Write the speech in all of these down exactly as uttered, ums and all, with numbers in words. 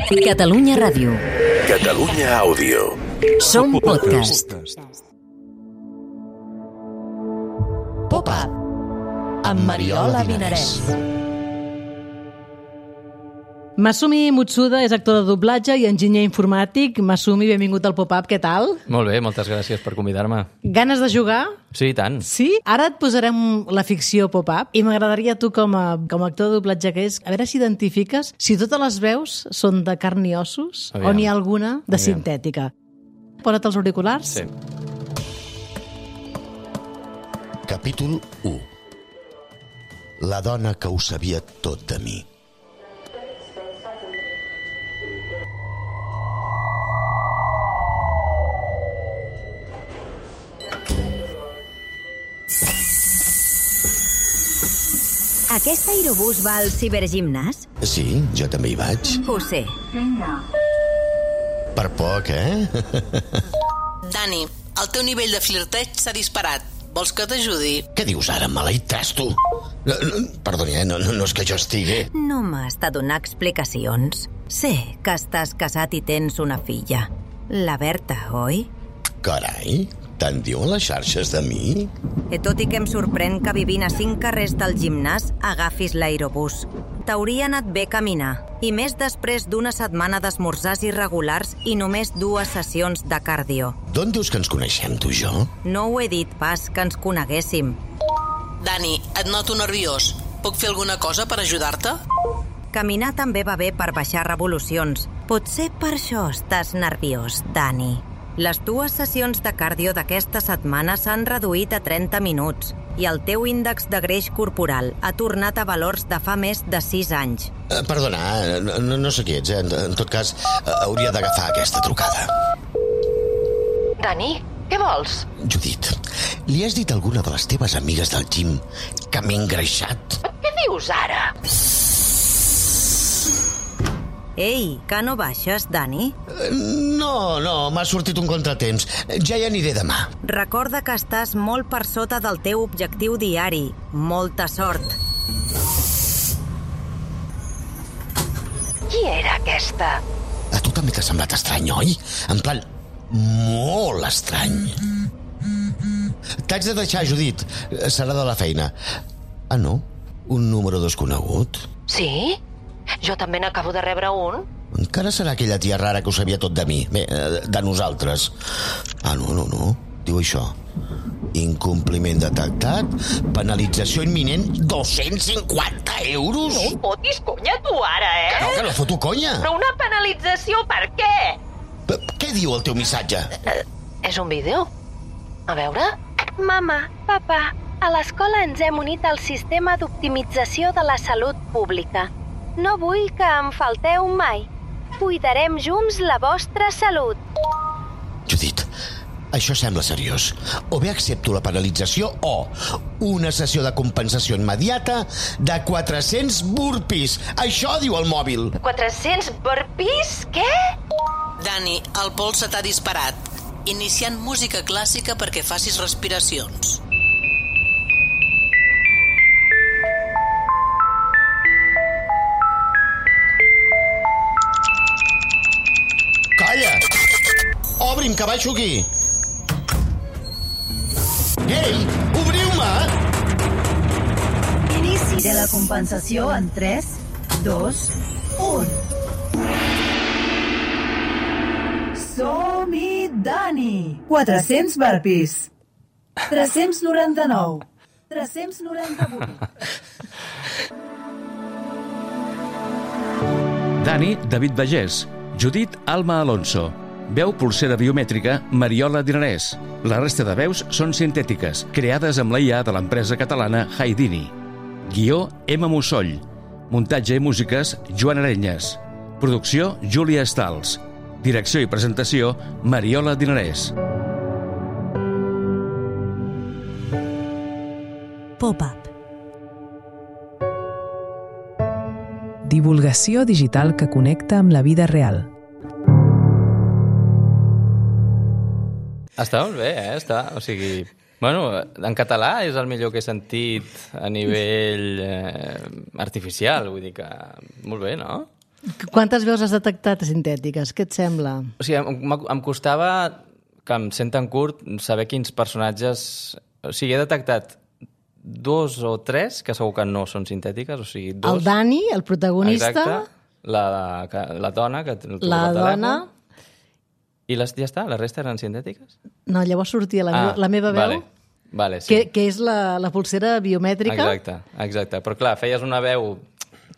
Catalunya Ràdio. Catalunya Àudio. Som podcast. Pop-up amb Mariola Vinarès. Masumi Mutsuda és actor de doblatge i enginyer informàtic. Masumi, benvingut al Pop-up, què tal? Molt bé, moltes gràcies per convidar-me. Ganes de jugar? Sí, i tant. Sí? Ara et posarem la ficció Pop-up i m'agradaria tu com a, com a actor de doblatge que és, a veure si identifiques si totes les veus són de carn i ossos Aviam. o n'hi ha alguna de Aviam. sintètica. Posa't els auriculars. Sí. Capítol u. La dona que ho sabia tot de mi. Aquest aerobús va al cibergimnàs? Sí, jo també hi vaig. Ho sé. Per poc, eh? Dani, el teu nivell de flirteig s'ha disparat. Vols que t'ajudi? Què dius ara, maleït trasto? No, no, perdoni, eh? no, no, no és que jo estigui... No m'has de donar explicacions. Sé que estàs casat i tens una filla. La Berta, oi? Carai, tant diuen les xarxes de mi? I tot i que em sorprèn que vivint a cinc carrers del gimnàs agafis l'aerobús. T'hauria anat bé caminar, i més després d'una setmana d'esmorzars irregulars i només dues sessions de cardio. D'on dius que ens coneixem, tu i jo? No ho he dit pas que ens coneguéssim. Dani, et noto nerviós. Puc fer alguna cosa per ajudar-te? Caminar també va bé per baixar revolucions. Potser per això estàs nerviós, Dani. Les dues sessions de cardio d'aquesta setmana s'han reduït a trenta minuts i el teu índex de greix corporal ha tornat a valors de fa més de sis anys. Eh, perdona, no, no sé qui ets, eh? En, en tot cas, eh, hauria d'agafar aquesta trucada. Dani, què vols? Judit, li has dit a alguna de les teves amigues del gym que m'he engreixat? Què dius ara? Ei, que no baixes, Dani? No, no, m'ha sortit un contratemps. Ja hi aniré demà. Recorda que estàs molt per sota del teu objectiu diari. Molta sort. Qui era aquesta? A tu també t'ha semblat estrany, oi? En plan, molt estrany. T'haig de deixar, Judit. Serà de la feina. Ah, no? Un número desconegut? Sí? Jo també n'acabo de rebre un. Encara serà aquella tia rara que ho sabia tot de mi. Bé, de nosaltres. Ah, no, no, no. Diu això. Incompliment detectat, penalització imminent, dos-cents cinquanta euros? No em fotis conya tu ara, eh? Que no, que no foto conya. Però una penalització per què? P què diu el teu missatge? Uh, és un vídeo. A veure... Mama, papa, a l'escola ens hem unit al sistema d'optimització de la salut pública. No vull que em falteu mai. Cuidarem junts la vostra salut. Judit, això sembla seriós. O bé accepto la penalització o una sessió de compensació immediata de quatre-cents burpees. Això diu el mòbil. quatre-cents burpees? Què? Dani, el pols se t'ha disparat. Iniciant música clàssica perquè facis respiracions. Calla! Obri'm, que baixo aquí! Ei, obriu-me! Inici de la compensació en tres, dos, un. Som-hi, Dani! quatre-cents burpees. tres-cents noranta-nou. tres-cents noranta-vuit. Dani, David Bagés. Judit, Alma Alonso. Veu pulsera biomètrica, Mariola Dinarès. La resta de veus són sintètiques, creades amb la I A de l'empresa catalana Haidini. Guió, Emma Mussoll. Muntatge i músiques, Joan Arenyes. Producció, Júlia Stals. Direcció i presentació, Mariola Dinarès. Pop-up. Divulgació digital que connecta amb la vida real. Està molt bé, eh? Està, o sigui... Bueno, en català és el millor que he sentit a nivell eh, artificial, vull dir que... Molt bé, no? Quantes veus has detectat sintètiques? Què et sembla? O sigui, em, em costava, que em senten curt, saber quins personatges... O sigui, he detectat dos o tres que segur que no són sintètiques, o sigui, dos... El Dani, el protagonista... Exacte, la, la dona que el la dona... I les, ja està? La resta eren sintètiques? No, llavors sortia la, ah, meva, la meva veu, vale, vale, sí. que, que és la, la pulsera biomètrica. Exacte, exacte. Però clar, feies una veu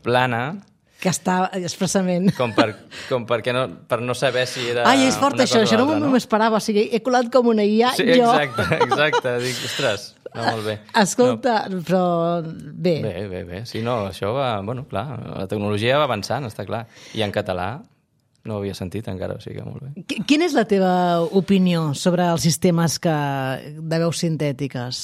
plana... Que està expressament... Com, per, com perquè no, per no saber si era... Ai, és fort això, això no m'ho esperava. O sigui, he colat com una I A, sí, jo... Exacte, exacte. Dic, ostres, no, molt bé. Escolta, no. però bé. Bé, bé, bé. Sí, no, això va... Bueno, clar, la tecnologia va avançant, està clar. I en català no ho havia sentit encara, o sigui que molt bé. Quina és la teva opinió sobre els sistemes que, de veus sintètiques?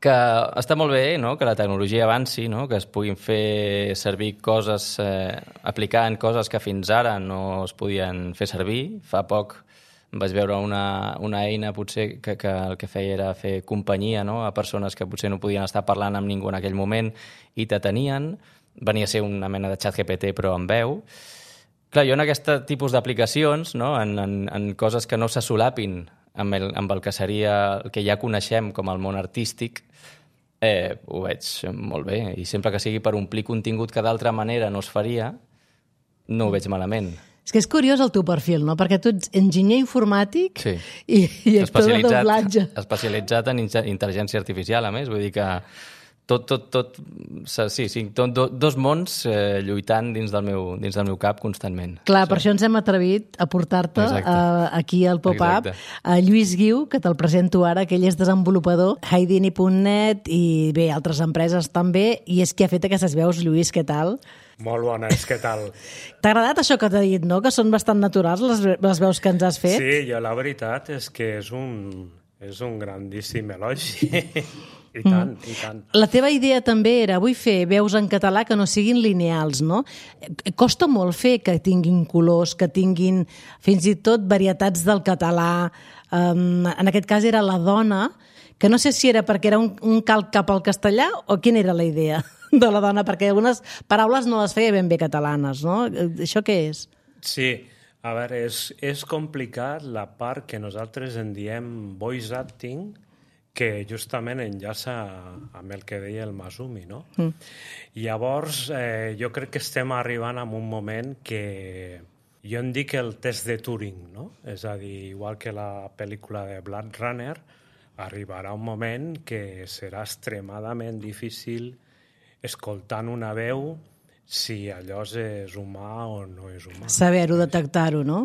Que està molt bé, no?, que la tecnologia avanci, no?, que es puguin fer servir coses, eh, aplicant coses que fins ara no es podien fer servir. Fa poc vaig veure una, una eina potser que, que el que feia era fer companyia, no?, a persones que potser no podien estar parlant amb ningú en aquell moment i t'atenien. Venia a ser una mena de xat G P T però amb veu. Clar, jo en aquest tipus d'aplicacions, no?, en, en, en coses que no se solapin amb el, amb el que seria el que ja coneixem com el món artístic, eh, ho veig molt bé. I sempre que sigui per omplir contingut que d'altra manera no es faria, no ho veig malament. És que és curiós el teu perfil, no? Perquè tu ets enginyer informàtic sí. i, i actor de doblatge. Especialitzat en intel·ligència artificial, a més. Vull dir que tot, tot, tot, sí, sí, tot, dos mons eh, lluitant dins del, meu, dins del meu cap constantment. Clar, sí. Per això ens hem atrevit a portar-te uh, aquí al Pop-Up a Lluís Guiu, que te'l presento ara, que ell és desenvolupador, Haidini punt net i bé, altres empreses també, i és qui ha fet aquestes veus. Lluís, què tal? Molt bones, què tal? T'ha agradat això que t'ha dit, no?, que són bastant naturals les, les veus que ens has fet? Sí, jo la veritat és que és un, és un grandíssim elogi. I tant, mm. i tant. La teva idea també era, vull fer veus en català que no siguin lineals, no? Costa molt fer que tinguin colors, que tinguin fins i tot varietats del català. Um, en aquest cas era la dona, que no sé si era perquè era un, un calc cap al castellà o quina era la idea de la dona, perquè algunes paraules no les feia ben bé catalanes, no? Això què és? Sí, a veure, és, és complicat la part que nosaltres en diem voice acting, que justament enllaça amb el que deia el Masumi, no? Mm. Llavors, eh, jo crec que estem arribant a un moment que jo en dic el test de Turing, no? És a dir, igual que la pel·lícula de Blade Runner, arribarà un moment que serà extremadament difícil escoltant una veu si allò és humà o no és humà. Saber-ho, detectar-ho, no?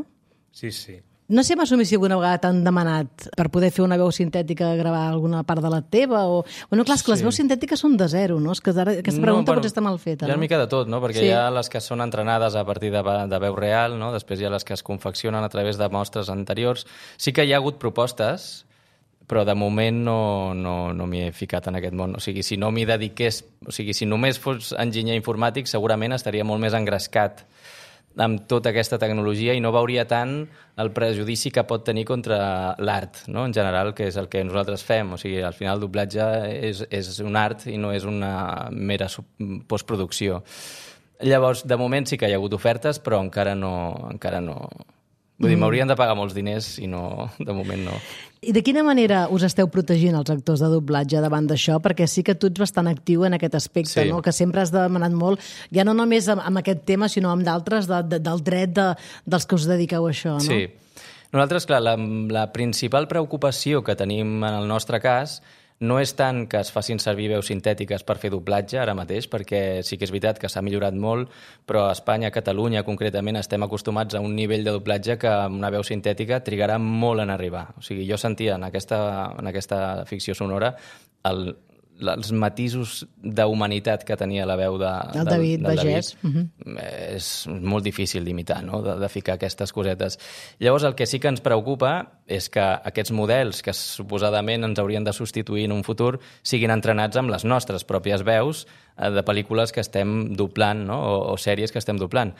Sí, sí. No sé, Masumi, si alguna vegada t'han demanat per poder fer una veu sintètica, gravar alguna part de la teva, o... Bueno, clar, és que les sí. veus sintètiques són de zero, no? És que ara, aquesta pregunta no, bueno, potser està mal feta, hi ha no? una mica de tot, no? Perquè sí. hi ha les que són entrenades a partir de, de veu real, no? Després hi ha les que es confeccionen a través de mostres anteriors. Sí que hi ha hagut propostes, però de moment no, no, no m'hi he ficat en aquest món. O sigui, si no m'hi dediqués... O sigui, si només fos enginyer informàtic, segurament estaria molt més engrescat amb tota aquesta tecnologia i no veuria tant el prejudici que pot tenir contra l'art, no?, en general, que és el que nosaltres fem. O sigui, al final el doblatge és, és un art i no és una mera postproducció. Llavors, de moment sí que hi ha hagut ofertes, però encara no... Encara no... Vull dir, m'haurien de pagar molts diners i no, de moment no. I de quina manera us esteu protegint els actors de doblatge davant d'això? Perquè sí que tu ets bastant actiu en aquest aspecte, sí. no? Que sempre has demanat molt, ja no només amb aquest tema, sinó amb d'altres, de, de, del dret de, dels que us dediqueu a això, no? Sí. Nosaltres, clar, la, la principal preocupació que tenim en el nostre cas no és tant que es facin servir veus sintètiques per fer doblatge ara mateix, perquè sí que és veritat que s'ha millorat molt, però a Espanya, a Catalunya concretament, estem acostumats a un nivell de doblatge que una veu sintètica trigarà molt en arribar. O sigui, jo sentia en aquesta, en aquesta ficció sonora el, els matisos d'humanitat que tenia la veu de, el David del, del Bagés. David. Uh-huh. És molt difícil d'imitar, no?, de, de ficar aquestes cosetes. Llavors, el que sí que ens preocupa és que aquests models que suposadament ens haurien de substituir en un futur siguin entrenats amb les nostres pròpies veus de pel·lícules que estem doblant, no?, o, o sèries que estem doblant.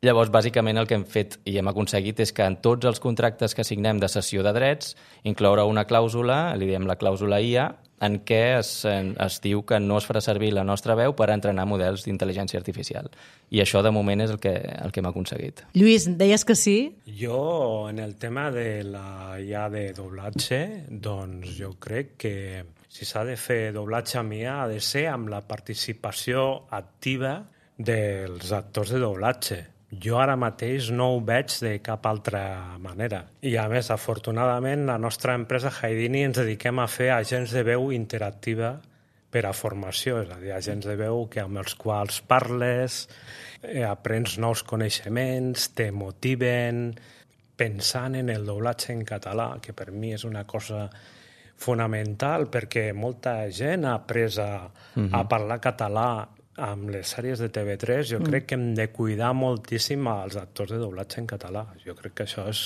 Llavors, bàsicament, el que hem fet i hem aconseguit és que en tots els contractes que signem de cessió de drets incloure una clàusula, li diem la clàusula I A, en què es, es diu que no es farà servir la nostra veu per entrenar models d'intel·ligència artificial. I això, de moment, és el que, el que hem aconseguit. Lluís, deies que sí? Jo, en el tema de la I A de doblatge, doncs jo crec que si s'ha de fer doblatge amb I A ha de ser amb la participació activa dels actors de doblatge. Jo ara mateix no ho veig de cap altra manera. I a més, afortunadament, la nostra empresa Haidini ens dediquem a fer agents de veu interactiva per a formació, és a dir, agents de veu que amb els quals parles, eh, aprens nous coneixements, te motiven, pensant en el doblatge en català, que per mi és una cosa fonamental, perquè molta gent ha après a, uh-huh. a parlar català amb les sèries de T V tres. Jo mm. crec que hem de cuidar moltíssim als actors de doblatge en català. Jo crec que això és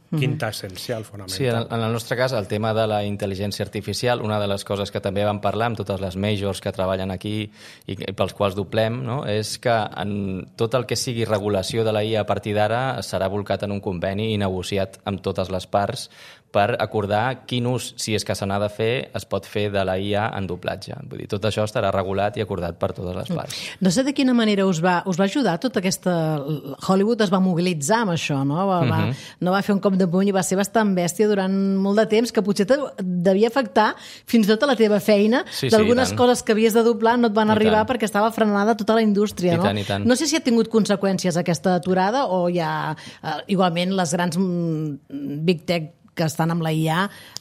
quinta mm. essencial, fonamental. Sí, en, en el nostre cas, el tema de la intel·ligència artificial, una de les coses que també vam parlar amb totes les majors que treballen aquí i, i pels quals doblem, no? És que en tot el que sigui regulació de la I A a partir d'ara serà volcat en un conveni i negociat amb totes les parts per acordar quin ús, si és que se n'ha de fer, es pot fer de la I A en doblatge. Vull dir, tot això estarà regulat i acordat per totes les parts. No sé de quina manera us va, us va ajudar tota aquesta... Hollywood es va mobilitzar amb això, no? Va, va, uh-huh. no va fer un cop de puny i va ser bastant bèstia durant molt de temps, que potser te devia afectar fins i tot a la teva feina. Sí, d'algunes sí, coses que havies de doblar no et van I arribar tant. perquè estava frenada tota la indústria, I no? tant, i tant. No sé si ha tingut conseqüències aquesta aturada o ja, eh, igualment, les grans mm, big tech que estan amb la I A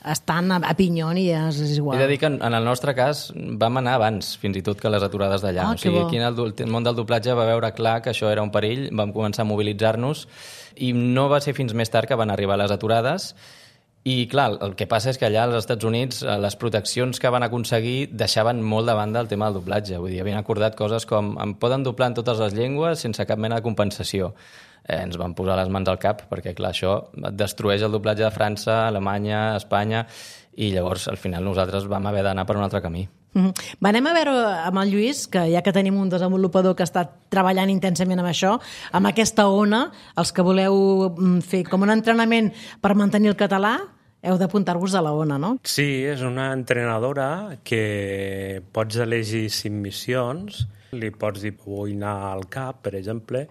estan a, a pinyon i ja és igual. He de dir que en, en el nostre cas vam anar abans, fins i tot que les aturades d'allà. Ah, o sigui, bo. aquí en el, el món del doblatge va veure clar que això era un perill, vam començar a mobilitzar-nos i no va ser fins més tard que van arribar les aturades. I, clar, el que passa és que allà als Estats Units les proteccions que van aconseguir deixaven molt de banda el tema del doblatge. Vull dir, havien acordat coses com em poden doblar en totes les llengües sense cap mena de compensació. Eh, ens van posar les mans al cap, perquè, clar, això destrueix el doblatge de França, Alemanya, Espanya, i llavors, al final, nosaltres vam haver d'anar per un altre camí. Mm-hmm. Va, anem a veure amb el Lluís, que ja que tenim un desenvolupador que està treballant intensament amb això, amb aquesta ona, els que voleu fer com un entrenament per mantenir el català, heu d'apuntar-vos a la ona, no? Sí, és una entrenadora que pots elegir cinc missions, li pots dir vull anar al cap, per exemple,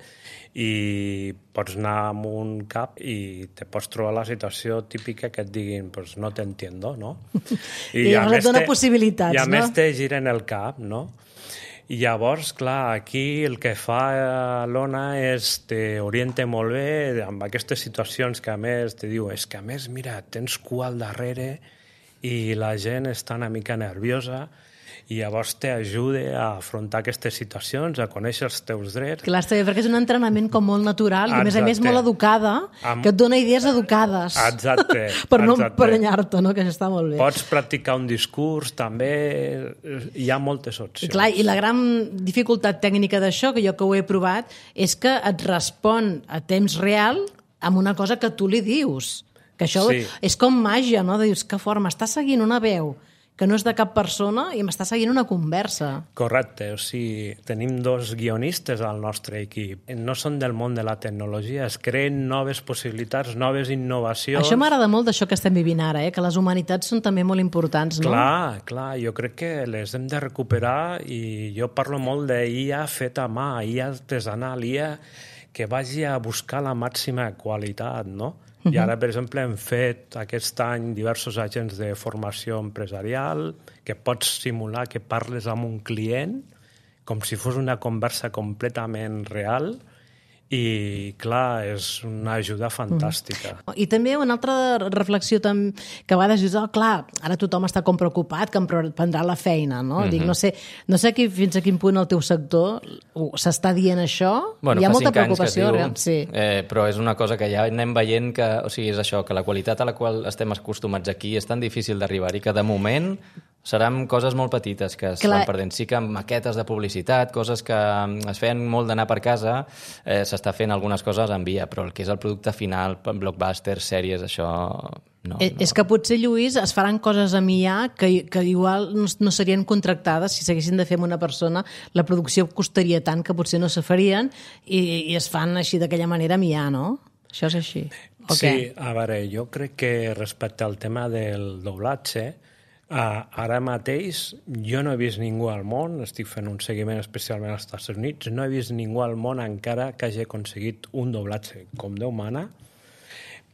i pots anar amb un cap i te pots trobar la situació típica que et diguin pues no te entiendo, no? I, I llavors et dona possibilitats, no? I a no? més te giren el cap, no? I llavors, clar, aquí el que fa l'Ona és t'orienta molt bé amb aquestes situacions que a més te diu és que a més, mira, tens cua al darrere i la gent està una mica nerviosa i llavors t'ajuda a afrontar aquestes situacions, a conèixer els teus drets. Clar, està bé, perquè és un entrenament com molt natural i, a més a més, molt educada, Am... que et dona idees educades. Exacte. per no exacte. emprenyar-te, no? Que això està molt bé. Pots practicar un discurs, també hi ha moltes opcions. I, clar, i la gran dificultat tècnica d'això, que jo que ho he provat, és que et respon a temps real amb una cosa que tu li dius. Que això sí. És com màgia, no? Dius, que fort, m'està seguint una veu que no és de cap persona i m'està seguint una conversa. Correcte, o sigui, tenim dos guionistes al nostre equip. No són del món de la tecnologia, es creen noves possibilitats, noves innovacions. Això m'agrada molt d'això que estem vivint ara, eh? Que les humanitats són també molt importants, no? Clar, clar, jo crec que les hem de recuperar i jo parlo molt d'I A feta a mà, I A artesanal, I A que vagi a buscar la màxima qualitat, no? I ara, per exemple, hem fet aquest any diversos agents de formació empresarial que pots simular que parles amb un client com si fos una conversa completament real i, clar, és una ajuda fantàstica. Mm. I també una altra reflexió tam, que va desajudar, clar, ara tothom està com preocupat que em prendrà la feina, no? Mm-hmm. Dic, no sé, no sé aquí, fins a quin punt el teu sector s'està dient això. Bueno, hi ha fa molta cinc anys preocupació. que es diu, real, sí. eh, però és una cosa que ja anem veient que, o sigui, és això, que la qualitat a la qual estem acostumats aquí és tan difícil d'arribar i que, de moment, seran coses molt petites que es Clar. van perdent. Sí que amb maquetes de publicitat, coses que es feien molt d'anar per casa, eh, s'està fent algunes coses en via, però el que és el producte final, blockbusters, sèries, això... No, és, no. és que potser, Lluís, es faran coses amb I A que, que igual no, no serien contractades si s'haguessin de fer amb una persona. La producció costaria tant que potser no se farien i, i es fan així d'aquella manera amb I A, no? Això és així. Sí, a veure, jo crec que respecte al tema del doblatge, Uh, ara mateix jo no he vist ningú al món, estic fent un seguiment especialment als Estats Units, no he vist ningú al món encara que hagi aconseguit un doblatge com Déu mana,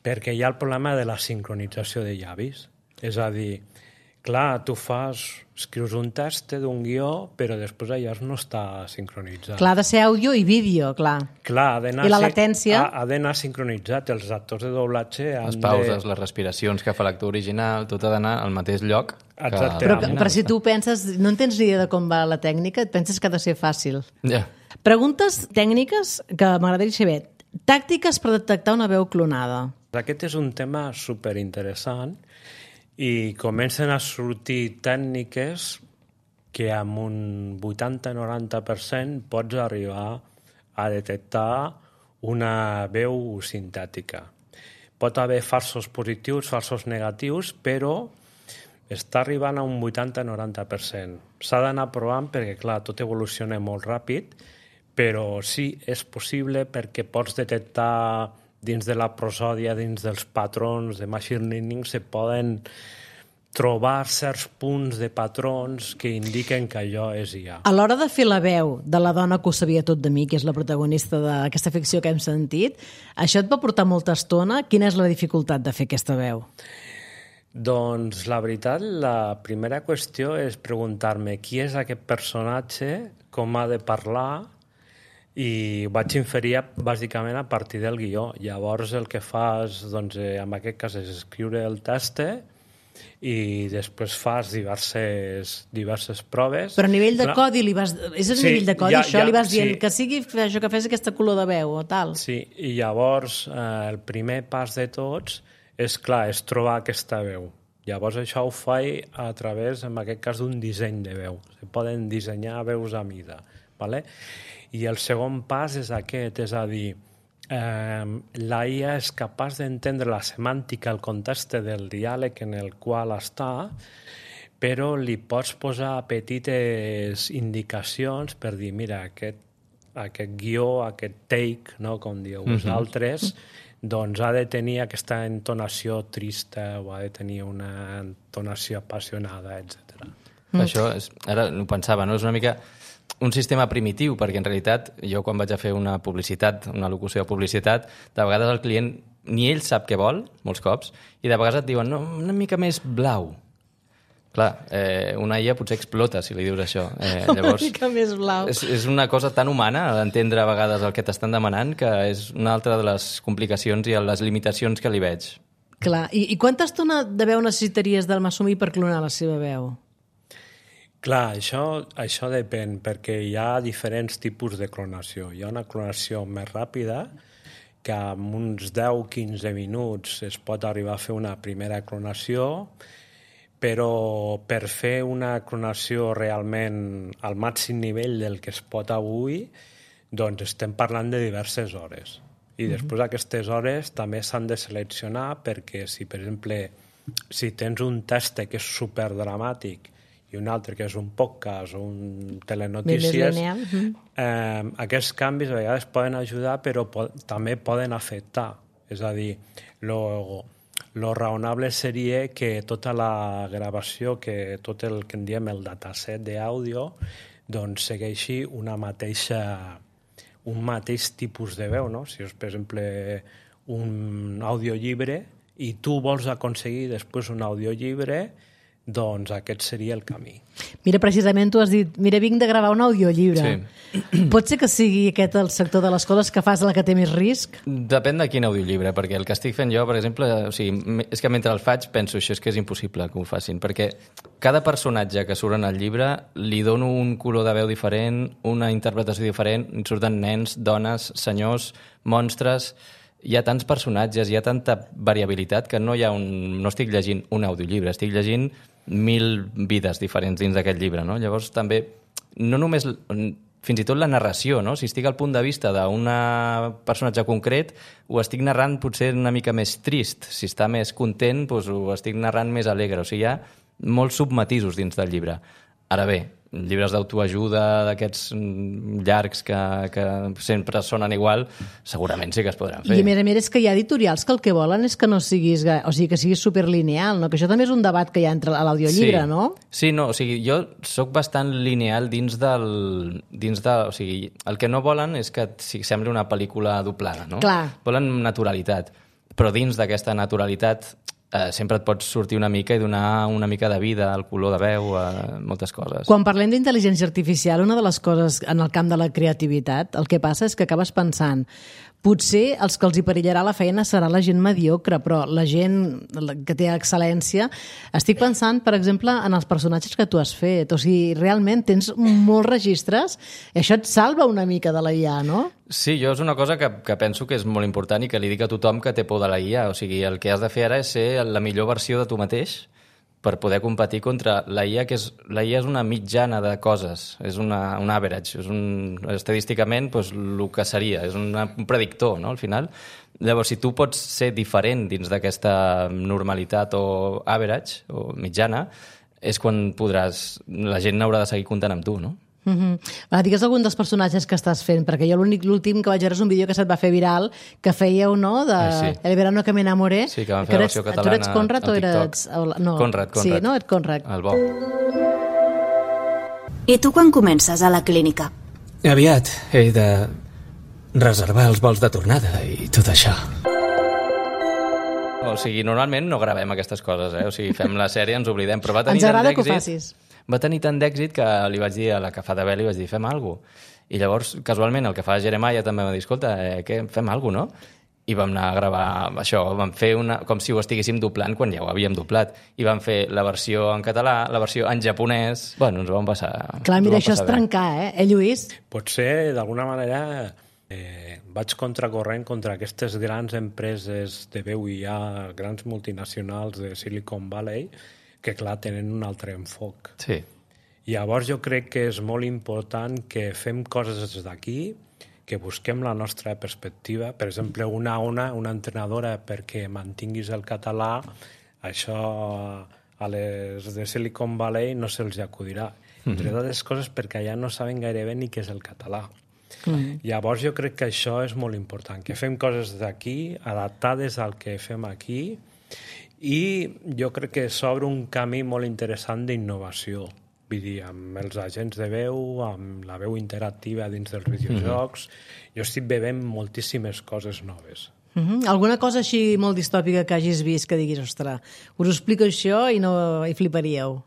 perquè hi ha el problema de la sincronització de llavis. És a dir, clar, tu fas, escrius un text d'un guió, però després allò no està sincronitzat. Clar, ha de ser àudio i vídeo, clar. Clar, ha d'anar, I la latència? Ha, ha d'anar sincronitzat. Els actors de doblatge han les pauses, de... les respiracions que fa l'actor original, tot ha d'anar al mateix lloc. Que... Però, però si tu penses, no en tens ni idea de com va la tècnica, et penses que ha de ser fàcil. Ja. Preguntes tècniques que m'agradaria saber. Tàctiques per detectar una veu clonada. Aquest és un tema superinteressant i comencen a sortir tècniques que amb un vuitanta a noranta per cent pots arribar a detectar una veu sintètica. Pot haver falsos positius, falsos negatius, però està arribant a un vuitanta a noranta per cent. S'ha d'anar provant perquè, clar, tot evoluciona molt ràpid, però sí, és possible perquè pots detectar dins de la prosòdia, dins dels patrons de machine learning, se poden trobar certs punts de patrons que indiquen que allò és I A. A l'hora de fer la veu de la dona que ho sabia tot de mi, que és la protagonista d'aquesta ficció que hem sentit, això et va portar molta estona? Quina és la dificultat de fer aquesta veu? Doncs la veritat, la primera qüestió és preguntar-me qui és aquest personatge, com ha de parlar, i ho vaig inferir bàsicament a partir del guió. Llavors el que fas, doncs, en aquest cas, és escriure el text i després fas diverses, diverses proves. Però a nivell de codi, li vas... és a Sí, nivell de codi, ja- això? ja, Li vas dient sí. que sigui això, que fes aquesta color de veu o tal? Sí, i llavors eh, el primer pas de tots és, clar, és trobar aquesta veu. Llavors això ho faig a través, en aquest cas, d'un disseny de veu. Se poden dissenyar veus a mida, ¿vale? I el segon pas és aquest, és a dir, eh, la I A és capaç d'entendre la semàntica, el context del diàleg en el qual està, però li pots posar petites indicacions per dir, mira, aquest, aquest guió, aquest take, no, com dieu Mhm. vosaltres, doncs ha de tenir aquesta entonació trista o ha de tenir una entonació apassionada, etcètera. Mm. Això, és, ara ho pensava, no? És una mica un sistema primitiu, perquè en realitat jo quan vaig a fer una publicitat, una locució de publicitat, de vegades el client ni ell sap què vol, molts cops, i de vegades et diuen, no, una mica més blau. Clar, eh, una I A potser explota si li dius això. Eh, llavors, una mica més blau. És, és una cosa tan humana d'entendre a vegades el que t'estan demanant que és una altra de les complicacions i les limitacions que li veig. Clar, i, i quanta estona de veu necessitaries del Masumi per clonar la seva veu? Clar, això, això depèn, perquè hi ha diferents tipus de clonació. Hi ha una clonació més ràpida, que en uns deu a quinze minuts es pot arribar a fer una primera clonació, però per fer una clonació realment al màxim nivell del que es pot avui, doncs estem parlant de diverses hores. I després aquestes hores també s'han de seleccionar perquè si, per exemple, si tens un test que és superdramàtic i un altre que és un podcast o un telenotícies, eh, aquests canvis a vegades poden ajudar però po també poden afectar. És a dir, lo, lo raonable seria que tota la gravació, que tot el que en diem el dataset d'àudio, doncs segueixi una mateixa, un mateix tipus de veu, no? Si és, per exemple, un audiollibre i tu vols aconseguir després un audiollibre, doncs aquest seria el camí. Mira, precisament tu has dit, mira, vinc de gravar un audiollibre. Sí. Pot ser que sigui aquest el sector de les coses que fas la que té més risc? Depèn de quin audiollibre, perquè el que estic fent jo, per exemple, o sigui, és que mentre el faig penso això és que és impossible que ho facin, perquè cada personatge que surt en el llibre li dono un color de veu diferent, una interpretació diferent, surten nens, dones, senyors, monstres... Hi ha tants personatges, hi ha tanta variabilitat que no hi ha un... no estic llegint un audiollibre, estic llegint mil vides diferents dins d'aquest llibre, no? Llavors també, no només, fins i tot la narració, no? Si estic al punt de vista d'un personatge concret, ho estic narrant potser una mica més trist. Si està més content, doncs ho estic narrant més alegre. O sigui, hi ha molts submatisos dins del llibre. Ara bé, llibres d'autoajuda d'aquests llargs que, que sempre sonen igual, segurament sí que es podran fer. I a més a més és que hi ha editorials que el que volen és que no siguis, o sigui, que siguis superlineal, no? Que això també és un debat que hi ha entre l'audiollibre, sí. no? Sí, no, o sigui, jo sóc bastant lineal dins del... Dins de, o sigui, el que no volen és que sembli una pel·lícula doblada, no? Clar. Volen naturalitat, però dins d'aquesta naturalitat Eh, sempre et pots sortir una mica i donar una mica de vida al color de veu, a moltes coses. Quan parlem d'intel·ligència artificial, una de les coses en el camp de la creativitat, el que passa és que acabes pensant potser els que els hi perillarà la feina serà la gent mediocre, però la gent que té excel·lència... Estic pensant, per exemple, en els personatges que tu has fet. O sigui, realment tens molts registres i això et salva una mica de la I A, no? Sí, jo és una cosa que, que penso que és molt important i que li dic a tothom que té por de la I A. O sigui, el que has de fer ara és ser la millor versió de tu mateix per poder competir contra la I A, que és, la I A és una mitjana de coses, és una, un average, és un, estadísticament doncs, el que seria, és una, un predictor, no?, al final. Llavors, si tu pots ser diferent dins d'aquesta normalitat o average, o mitjana, és quan podràs... La gent haurà de seguir comptant amb tu, no? Uh-huh. Va, digues algun dels personatges que estàs fent, perquè jo l'únic l'últim que vaig veure és un vídeo que se't va fer viral que fèieu, no?, de eh, sí. El verano que me enamoré. Sí, que vam fer la versió catalana. Tu eres Conrad o eres... No. Conrad, Conrad. Sí, no? Et Conrad. El bo. I tu quan comences a la clínica? Aviat. He de reservar els vols de tornada i tot això. O sigui, normalment no gravem aquestes coses, eh? O sigui, fem la sèrie, ens oblidem, però va tenir Ens agrada tant que ho facis. Va tenir tant d'èxit que li vaig dir a la que fa de Bel, li vaig dir, fem alguna cosa. I llavors, casualment, el que fa Jeremiah també va dir, escolta, eh, què, fem alguna cosa, no? I vam anar a gravar això, vam fer una, com si ho estiguéssim doblant quan ja ho havíem doblat. I vam fer la versió en català, la versió en japonès... Bueno, ens ho vam passar... Clar, mira, això és trencar, eh? Eh, Lluís? Potser, d'alguna manera, eh, vaig contracorrent contra aquestes grans empreses de veu I A, grans multinacionals de Silicon Valley, que, clar, tenen un altre enfoc. Sí. Llavors jo crec que és molt important que fem coses des d'aquí, que busquem la nostra perspectiva. Per exemple, una ona, una entrenadora perquè mantinguis el català, això a les de Silicon Valley no se'ls acudirà. Mm-hmm. Entre altres coses perquè allà no saben gairebé ni què és el català. Mm-hmm. Llavors jo crec que això és molt important, que fem coses d'aquí, adaptades al que fem aquí, i jo crec que s'obre un camí molt interessant d'innovació. Vull dir, amb els agents de veu, amb la veu interactiva dins dels videojocs, mm-hmm. jo estic bevent moltíssimes coses noves. Mm-hmm. Alguna cosa així molt distòpica que hagis vist que diguis, ostres, us ho explico això i no hi fliparíeu?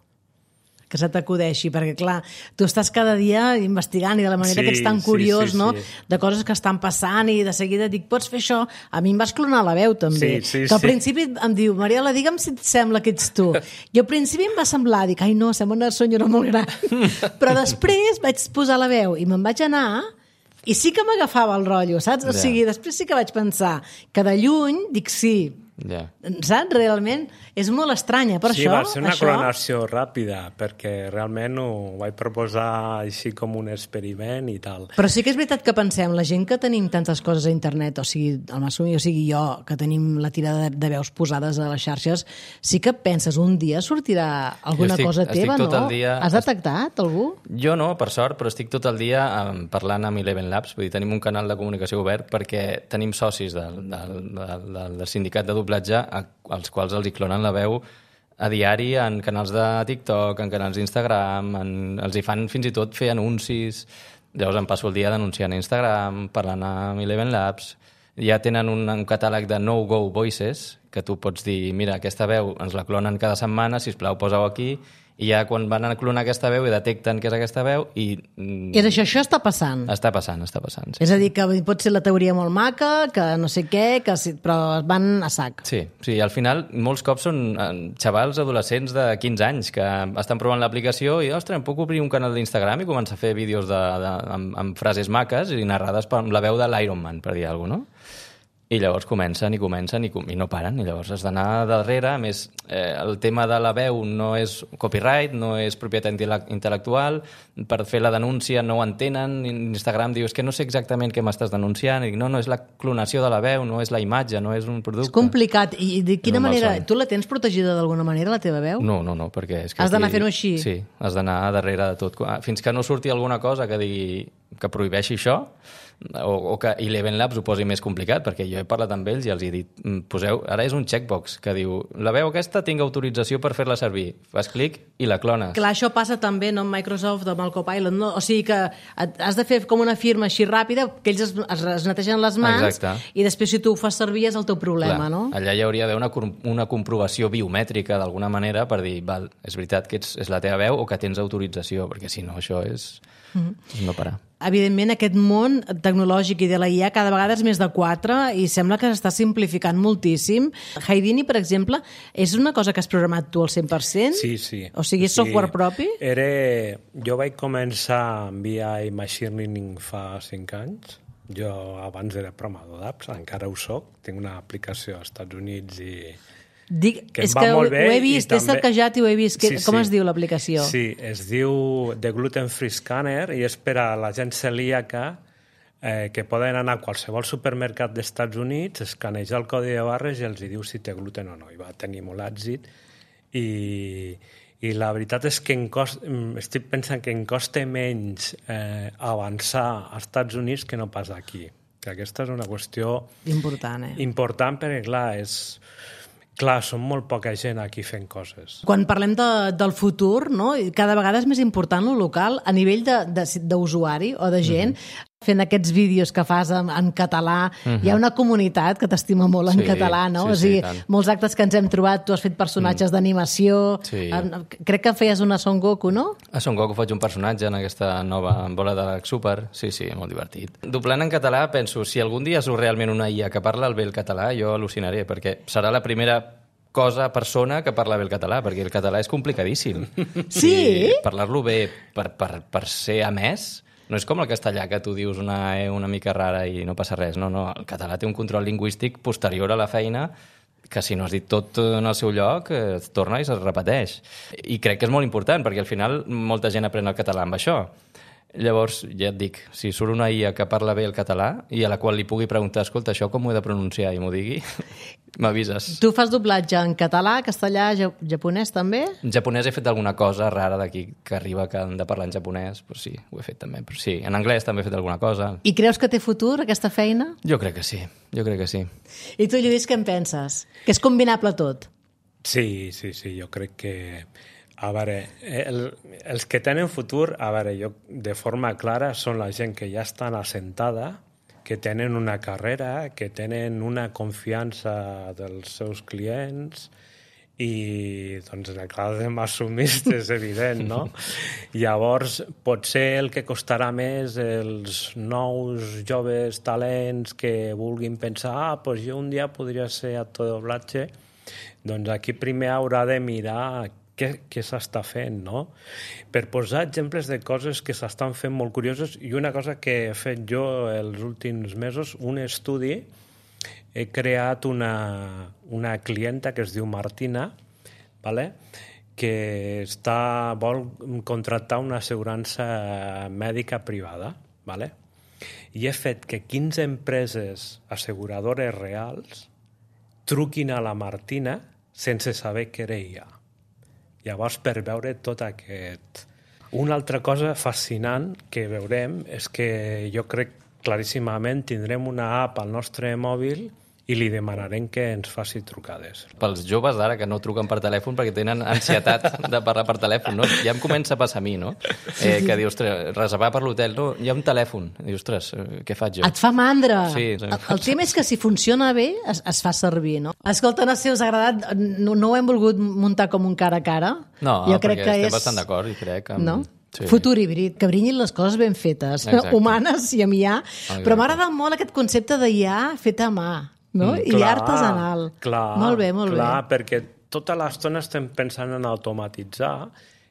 Que se t'acudeixi, perquè clar, tu estàs cada dia investigant i de la manera sí, que ets tan curiós, sí, sí, no? Sí. De coses que estan passant i de seguida dic, pots fer això? A mi em vas clonar la veu també. Sí, sí, que al sí. principi em diu, Mariela, digue'm si et sembla que ets tu. I al principi em va semblar, dic, ai no, sembla una senyora molt gran. Però després vaig posar la veu i me'n vaig anar i sí que m'agafava el rotllo, saps? O sigui, després sí que vaig pensar que de lluny dic sí, Yeah. Saps? Realment és molt estranya, per sí, això... Sí, va ser una això... clonació ràpida, perquè realment ho vaig proposar així com un experiment i tal. Però sí que és veritat que pensem, la gent que tenim tantes coses a internet, o sigui, el Masumi, o sigui jo, que tenim la tirada de, de veus posades a les xarxes, sí que penses, un dia sortirà alguna estic, cosa teva, no? Dia... Has detectat algú? Jo no, per sort, però estic tot el dia um, parlant amb Eleven Labs, vull dir, tenim un canal de comunicació obert perquè tenim socis del, del, del, del, del sindicat de doblatge als quals els hi clonen la veu a diari en canals de TikTok, en canals d'Instagram, en... els hi fan fins i tot fer anuncis. Llavors em passo el dia denunciant a Instagram, parlant amb Eleven Labs. Ja tenen un, un catàleg de no-go voices, que tu pots dir, mira, aquesta veu ens la clonen cada setmana, sisplau, posa-ho aquí, i ja quan van a clonar aquesta veu i detecten que és aquesta veu i... I és això, això està passant? Està passant, està passant, sí. És a dir, que pot ser la teoria molt maca, que no sé què, que sí, però van a sac. Sí, sí, al final molts cops són xavals adolescents de quinze anys que estan provant l'aplicació i, ostres, em puc obrir un canal d'Instagram i començar a fer vídeos de, de, amb, amb frases maques i narrades per la veu de l'Iron Man, per dir alguna cosa, no? i llavors comencen i comencen i, com, i no paren, i llavors has d'anar darrere. A més, eh, el tema de la veu no és copyright, no és propietat intel·lectual, per fer la denúncia no ho entenen, Instagram diu, és que no sé exactament què m'estàs denunciant, i dic, no, no, és la clonació de la veu, no és la imatge, no és un producte. És complicat, i de quina no manera, tu la tens protegida d'alguna manera, la teva veu? No, no, no, perquè... És que has d'anar aquí... fent-ho així? Sí, has d'anar darrere de tot. Fins que no surti alguna cosa que digui que prohibeixi això, o, o que Eleven Labs ho posi més complicat, perquè jo he parlat amb ells i els he dit, poseu, ara és un checkbox que diu, la veu aquesta tinc autorització per fer-la servir, fas clic i la clones. Clar, això passa també no, amb Microsoft o amb el Copilot, no? O sigui que has de fer com una firma així ràpida, que ells es, es netegen les mans. Exacte. I després si tu ho fas servir és el teu problema, clar, no? Allà hi hauria d'haver una, una comprovació biomètrica d'alguna manera per dir, val, és veritat que ets, és la teva veu o que tens autorització, perquè si no això és... Mm-hmm. no parar. Evidentment, aquest món tecnològic i de la I A cada vegada és més de quatre i sembla que s'està simplificant moltíssim. Houdini, per exemple, és una cosa que has programat tu al cent per cent? Sí, sí. O sigui, és sí. software propi? Era... Jo vaig començar amb I A i Machine Learning fa cinc anys. Jo abans era programador d'apps, encara ho soc. Tinc una aplicació als Estats Units i... Dic, que és que ho, ho he vist, he cercajat i ho he vist. Sí, com sí. es diu l'aplicació? Sí, es diu The Gluten Free Scanner i és per a la gent celíaca eh, que poden anar a qualsevol supermercat dels Estats Units, escanejar el codi de barres i els diu si té gluten o no. I va tenir molt èxit i, i la veritat és que em cost, estic pensant que em costa menys eh, avançar als Estats Units que no pas aquí. Que aquesta és una qüestió important, eh? important perquè, clar, és... Clar, som molt poca gent aquí fent coses. Quan parlem de, del futur, no? Cada vegada és més important lo local a nivell d'usuari o de gent. Mm-hmm. Fent aquests vídeos que fas en, en català, mm-hmm. hi ha una comunitat que t'estima molt en sí, català, no? Sí, o sigui, sí, molts actes que ens hem trobat, tu has fet personatges mm. d'animació, sí. en, crec que feies una Son Goku, no? A Son Goku faig un personatge en aquesta nova bola de Super, sí, sí, molt divertit. Doblant en català, penso, si algun dia surt realment una I A que parla bé el català, jo al·lucinaré, perquè serà la primera cosa, persona que parla bé el català, perquè el català és complicadíssim. Sí? I parlar-lo bé per, per, per ser emès no és com el castellà, que tu dius una E una mica rara i no passa res. No, no, el català té un control lingüístic posterior a la feina que si no has dit tot en el seu lloc, es torna i es repeteix. I crec que és molt important, perquè al final molta gent aprèn el català amb això. Llavors, ja et dic, si surt una I A que parla bé el català i a la qual li pugui preguntar, escolta, això com ho he de pronunciar i m'ho digui, m'avises. Tu fas doblatge en català, castellà, japonès també? En japonès he fet alguna cosa rara d'aquí que arriba que han de parlar en japonès, però sí, ho he fet també. Però sí, en anglès també he fet alguna cosa. I creus que té futur, aquesta feina? Jo crec que sí, jo crec que sí. I tu, Lluís, què en penses? Que és combinable tot? Sí, sí, sí, jo crec que... A veure, el, els que tenen futur, a veure, jo de forma clara, són la gent que ja estan assentada, que tenen una carrera, que tenen una confiança dels seus clients i, doncs, en el cas de Massumist és evident, no? Llavors, potser el que costarà més els nous joves talents que vulguin pensar ah, doncs jo un dia podria ser actor de doblatge, doncs aquí primer haurà de mirar què, què s'està fent, no? Per posar exemples de coses que s'estan fent molt curioses, i una cosa que he fet jo els últims mesos, un estudi, he creat una, una clienta que es diu Martina, vale? que està, vol contractar una assegurança mèdica privada, vale? i he fet que quinze empreses asseguradores reals truquin a la Martina sense saber què era ella. Llavors, per veure tot aquest... Una altra cosa fascinant que veurem és que jo crec claríssimament tindrem una app al nostre mòbil i li demanarem que ens faci trucades. Pels joves d'ara que no truquen per telèfon perquè tenen ansietat de parlar per telèfon, no? Ja em comença a passar a mi, no? Eh, que dius, ostres, reservar per l'hotel, no, hi ha un telèfon. I dius, ostres, què faig jo? Et fa mandra. Sí, sí. El, el tema és que si funciona bé, es, es fa servir, no? Escolta, no sé si us ha agradat, no, no ho hem volgut muntar com un cara a cara. No, jo crec perquè que estem és... bastant d'acord i crec... Amb... No? Sí. Futur híbrid, que brinyin les coses ben fetes, exacte. Humanes i amb I A. Exacte. Però m'agrada molt aquest concepte d'I A feta a mà. No? Mm, I clar, artesanal. Clar, molt bé, molt clar, bé. Perquè tota l'estona estem pensant en automatitzar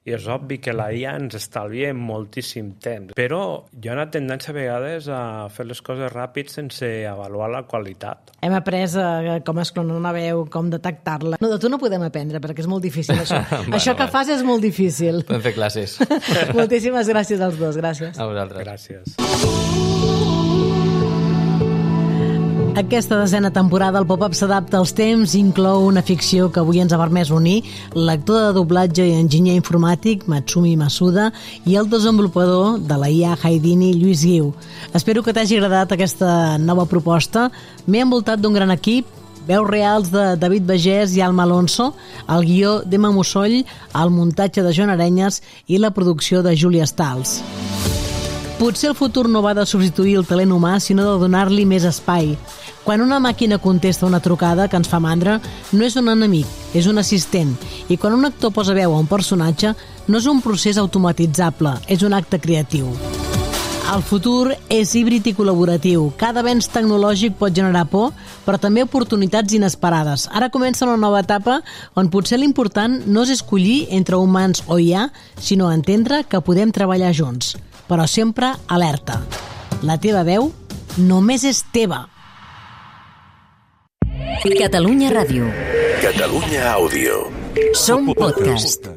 i és obvi que la I A ens estalvia moltíssim temps. Però hi ha una tendència a vegades a fer les coses ràpid sense avaluar la qualitat. Hem après uh, com es clona una veu, com detectar-la. No, de tu no podem aprendre, perquè és molt difícil, això. bueno, això que bueno. fas és molt difícil. Podem fer classes. Moltíssimes gràcies als dos, gràcies. A vosaltres. Gràcies. Aquesta desena temporada el Pop-Up s'adapta als temps i inclou una ficció que avui ens ha permès unir l'actor de doblatge i enginyer informàtic Matsumi Masuda i el desenvolupador de la I A Haidini, Lluís Guiu. Espero que t'hagi agradat aquesta nova proposta. M'he envoltat d'un gran equip, veus reals de David Bagés i Alma Alonso, el guió d'Emma Mussoll, el muntatge de Joan Arenyes i la producció de Júlia Stals. Potser el futur no va de substituir el talent humà, sinó de donar-li més espai. Quan una màquina contesta una trucada que ens fa mandra, no és un enemic, és un assistent. I quan un actor posa veu a un personatge, no és un procés automatitzable, és un acte creatiu. El futur és híbrid i col·laboratiu. Cada avenç tecnològic pot generar por, però també oportunitats inesperades. Ara comença una nova etapa on potser l'important no és escollir entre humans o I A, sinó entendre que podem treballar junts. Però sempre alerta. La teva veu només és teva. Catalunya Ràdio. Catalunya Àudio. Som podcast.